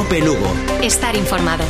Cope Lugo. Estar informado.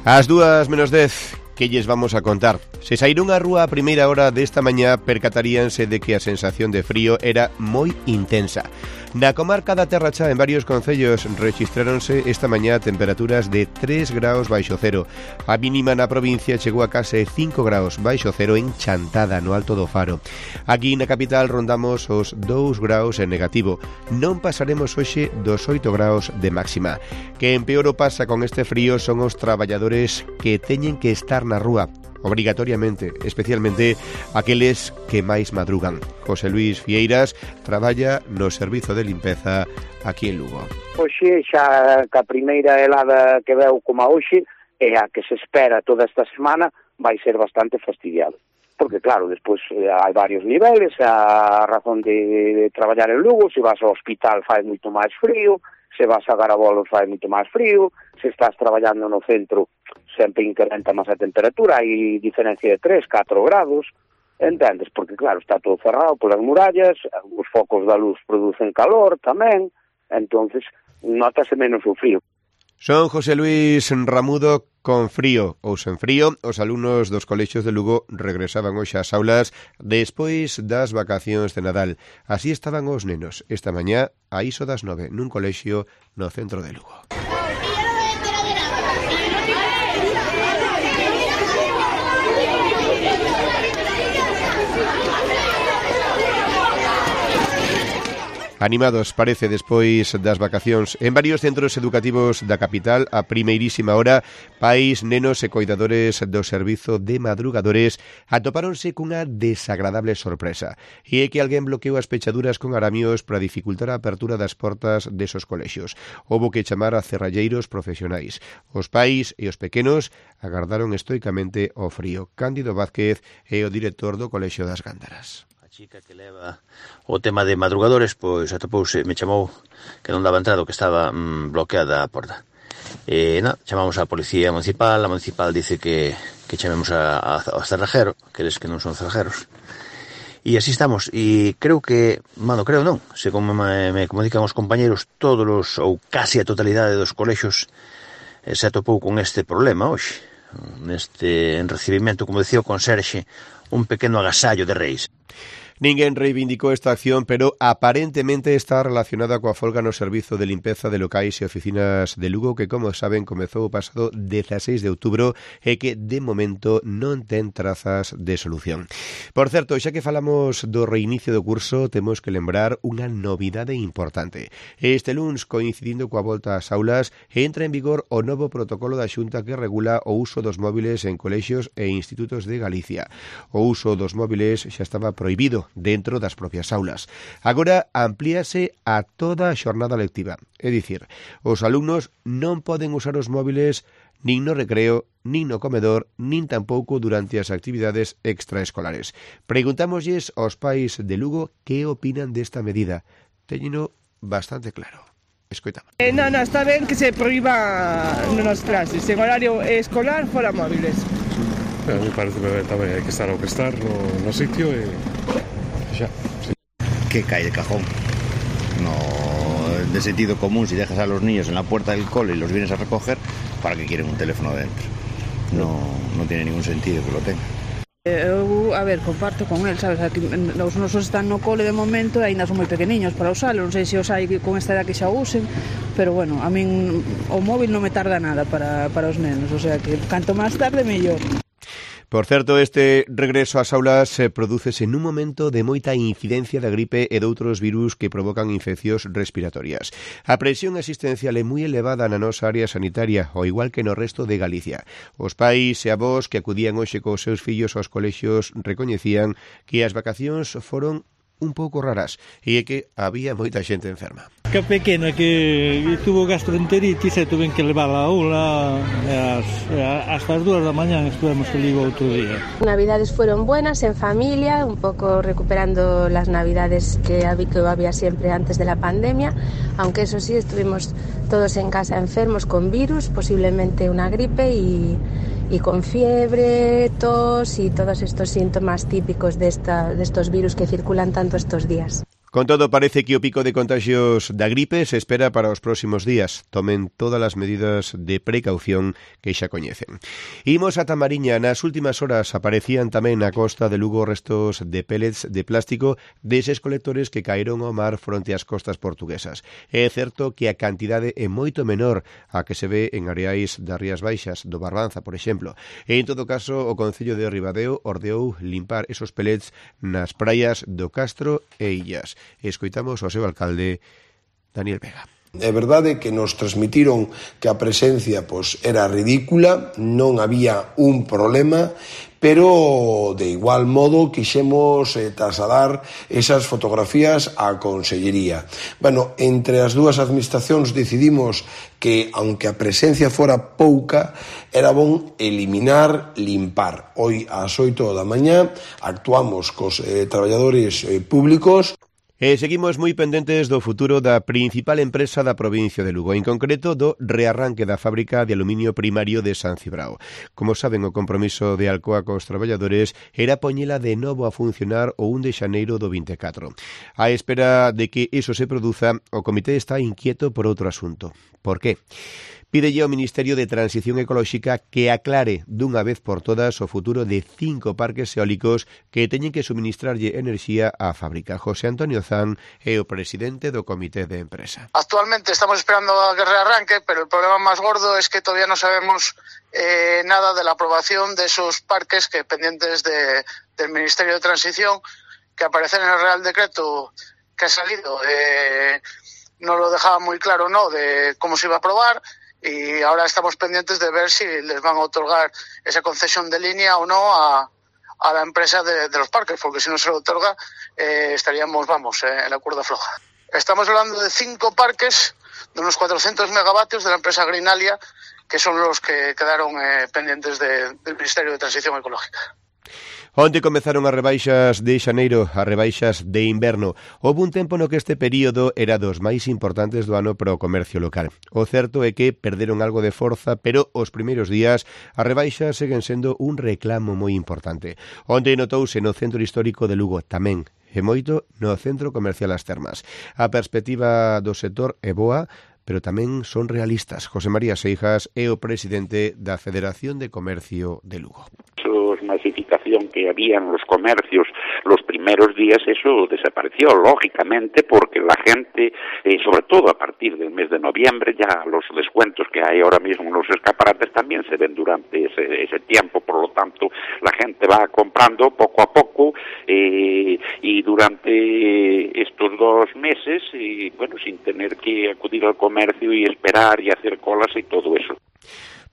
Ás 2:10, que lles vamos a contar? Se saíron á rúa a primeira hora desta mañá, percataríanse de que a sensación de frío era moi intensa. Na comarca da Terra Chá, en varios concellos, rexistráronse esta mañá temperaturas de 3 graus baixo cero. A mínima na provincia chegou a case 5 graus baixo cero en Chantada, no Alto do Faro. Aquí na capital rondamos os 2 graus en negativo. Non pasaremos hoxe dos 8 graus de máxima. Que en peor o pasa con este frío son os traballadores que teñen que estar na rúa, obrigatoriamente, especialmente aqueles que máis madrugan. José Luis Fieiras traballa no servizo de limpeza aquí en Lugo. Hoxe xa que a primeira helada que veu como a hoxe é a que se espera toda esta semana vai ser bastante fastidiado. Porque claro, despois hai varios niveles, a razón de traballar en Lugo, se vas ao hospital fai moito máis frío, se vas a Garabolos fai moito máis frío, se estás traballando no centro sempre incrementa máis a temperatura, hai diferencia de 3, 4 grados, entendes? Porque claro, está todo cerrado polas murallas, os focos da luz producen calor tamén, entonces notase menos o frío. Son José Luis Ramudo con frío ou sen frío. Os alumnos dos colexios de Lugo regresaban hoxe ás aulas despois das vacacións de Nadal. Así estaban os nenos esta mañá a iso das 9 nun colexio no centro de Lugo. Animados, parece, despois das vacacións. En varios centros educativos da capital, a primeirísima hora, pais, nenos e coidadores do servizo de madrugadores atopáronse cunha desagradable sorpresa. E é que alguén bloqueou as pechaduras con aramios para dificultar a apertura das portas desos colexios. Houbo que chamar a cerralleiros profesionais. Os pais e os pequenos agardaron estoicamente o frío. Cándido Vázquez é o director do Colexio das Gándaras. Chica que leva o tema de madrugadores, pois atopouse, me chamou que non daba entrado, que estaba bloqueada a porta. Chamamos á policía municipal, a municipal dice que chamemos ao cerrajero, aqueles que non son cerrajeros. E así estamos, e creo que, creo non, se como me comunican os compañeros, todos os, ou casi a totalidade dos colexios se atopou con este problema hoxe, neste recibimento, como decía o conserxe, un pequeno agasallo de reis. Ninguén reivindicou esta acción, pero aparentemente está relacionada coa folga no servizo de limpeza de locais e oficinas de Lugo, que, como saben, comezou o pasado 16 de outubro e que, de momento, non ten trazas de solución. Por certo, xa que falamos do reinicio do curso, temos que lembrar unha novidade importante. Este luns, coincidindo coa volta ás aulas, entra en vigor o novo protocolo da Xunta que regula o uso dos móviles en colexios e institutos de Galicia. O uso dos móviles xa estaba prohibido dentro das propias aulas. Agora amplíase a toda a xornada lectiva. É dicir, os alumnos non poden usar os móviles nin no recreo, nin no comedor, nin tampouco durante as actividades extraescolares. Preguntámoslles aos pais de Lugo que opinan desta medida. Téñeno bastante claro. Escoitamos. Non, está ben que se proíba nas clases. En horario escolar, fora móviles. A mí parece que tamén hai que estar ao que estar no sitio e xa. Sí. Que cae de cajón. No, de sentido común, si dejas a los niños en la puerta del cole y los vienes a recoger, ¿para qué quieren un teléfono dentro? No tiene ningún sentido que lo tengan. Eu, comparto con el, sabes, aquí, os nosos están no cole de momento e ainda son moi pequeniños para usalo, non sei se os hai con esta edad que xa usen, pero bueno, a min o móvil non me tarda nada para os nenos, o sea que canto máis tarde mellor. Por certo, este regreso ás aulas prodúcese nun momento de moita incidencia da gripe e doutros virus que provocan infeccións respiratorias. A presión asistencial é moi elevada na nosa área sanitaria, ao igual que no resto de Galicia. Os pais e avós que acudían hoxe cos seus fillos aos colexios recoñecían que as vacacións foron un pouco raras e é que había moita xente enferma. Que pequena que tuvo gastroenteritis e tuven que levar a aula hasta as 2 da mañá estuvemos que ligo outro día. Navidades fueron buenas en familia, un poco recuperando las navidades que había siempre antes de la pandemia, aunque eso sí, estuvimos todos en casa enfermos con virus, posiblemente una gripe y con fiebre, tos y todos estos síntomas típicos de estos virus que circulan tanto estos días. Con todo, parece que o pico de contagios da gripe se espera para os próximos días. Tomen todas as medidas de precaución que xa coñecen. Imos ata Mariña. Nas últimas horas aparecían tamén na costa de Lugo restos de pellets de plástico deses colectores que caeron ao mar fronte ás costas portuguesas. É certo que a cantidade é moito menor a que se ve en areais das Rías Baixas, do Barbanza, por exemplo. E, en todo caso, o Concello de Ribadeo ordeou limpar esos pellets nas praias do Castro e Illas. Escoitamos ao seu alcalde, Daniel Vega. É verdade que nos transmitiron que a presencia era ridícula, non había un problema, pero de igual modo quixemos trasladar esas fotografías á Consellería. Bueno, entre as dúas administracións decidimos que, aunque a presencia fora pouca, era bon eliminar, limpar. Hoy ás 8 da mañá actuamos cos traballadores públicos. Seguimos moi pendentes do futuro da principal empresa da provincia de Lugo, en concreto do rearranque da fábrica de aluminio primario de San Cibrao. Como saben, o compromiso de Alcoa cos traballadores era poñela de novo a funcionar o 1 de xaneiro do 24. A espera de que iso se produza, o comité está inquieto por outro asunto. Por qué? Pídelle ao Ministerio de Transición Ecolóxica que aclare dunha vez por todas o futuro de 5 parques eólicos que teñen que suministrarlle enerxía á fábrica. José Antonio Zan é o presidente do comité de empresa. Actualmente estamos esperando a que rearranque, pero el problema más gordo es que todavía no sabemos nada de la aprobación de esos parques que pendientes del Ministerio de Transición, que aparecen en el Real Decreto que ha salido. No lo dejaba muy claro, ¿no?, de cómo se iba a aprobar. Y ahora estamos pendientes de ver si les van a otorgar esa concesión de línea o no a la empresa de los parques, porque si no se lo otorga estaríamos, en la cuerda floja. Estamos hablando de 5 parques de unos 400 megavatios de la empresa Greenalia, que son los que quedaron pendientes del Ministerio de Transición Ecológica. Onte comezaron as rebaixas de xaneiro, as rebaixas de inverno. Houve un tempo no que este período era dos máis importantes do ano para o comercio local. O certo é que perderon algo de forza, pero os primeiros días as rebaixas seguen sendo un reclamo moi importante. Onte notouse no centro histórico de Lugo tamén, e moito no centro comercial As Termas. A perspectiva do sector é boa, pero tamén son realistas. José María Seijas é o presidente da Federación de Comercio de Lugo. Masificación que había en los comercios los primeros días, eso desapareció lógicamente porque la gente, sobre todo a partir del mes de noviembre, ya los descuentos que hay ahora mismo en los escaparates también se ven durante ese tiempo, por lo tanto la gente va comprando poco a poco y durante estos 2 meses, sin tener que acudir al comercio y esperar y hacer colas y todo eso.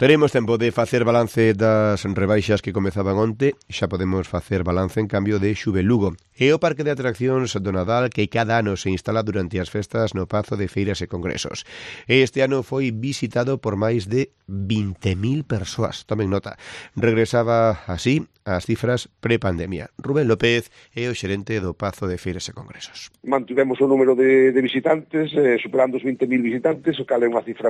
Teremos tempo de facer balance das rebaixas que comezaban onte, xa podemos facer balance en cambio de Xuve Lugo. É o parque de atraccións do Nadal que cada ano se instala durante as festas no Pazo de Feiras e Congresos. Este ano foi visitado por máis de 20.000 persoas. Tomen nota. Regresaba así as cifras pre-pandemia. Rubén López é o xerente do Pazo de Feiras e Congresos. Mantivemos o número de visitantes, superando os 20.000 visitantes, o cal é unha cifra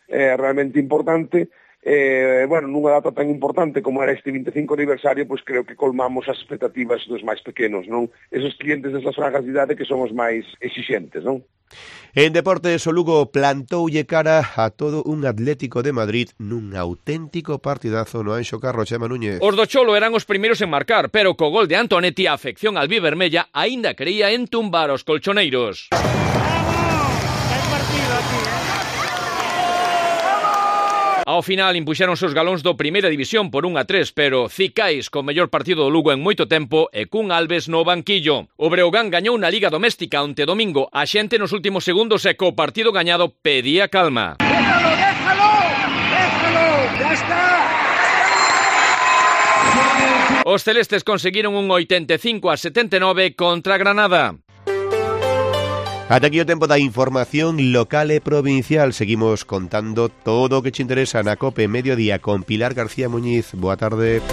realmente importante. Nunha data tan importante como era este 25 aniversario, creo que colmamos as expectativas dos máis pequenos, non? Esos clientes desas franjas de idade que son os máis exixentes, non? En deportes, o Lugo plantoulle cara a todo un Atlético de Madrid nun auténtico partidazo no Anxo Carro. Chema Núñez. Os do Cholo eran os primeiros en marcar, pero co gol de Antonetti a afección albivermella aínda quería entumbar os colchoneiros. Ao final impuxeronse os galóns do Primeira División por 1-3, pero Cicais, co mellor partido do Lugo en moito tempo, e cun Alves no banquillo. O Breogán gañou na Liga Doméstica onte domingo. A xente nos últimos segundos e co partido gañado pedía calma. ¡Déjalo! ¡Ya está! Os celestes conseguiron un 85-79 contra Granada. Ata aquí o tempo da información local e provincial. Seguimos contando todo o que te interesa na COPE Mediodía con Pilar García Muñiz. Boa tarde.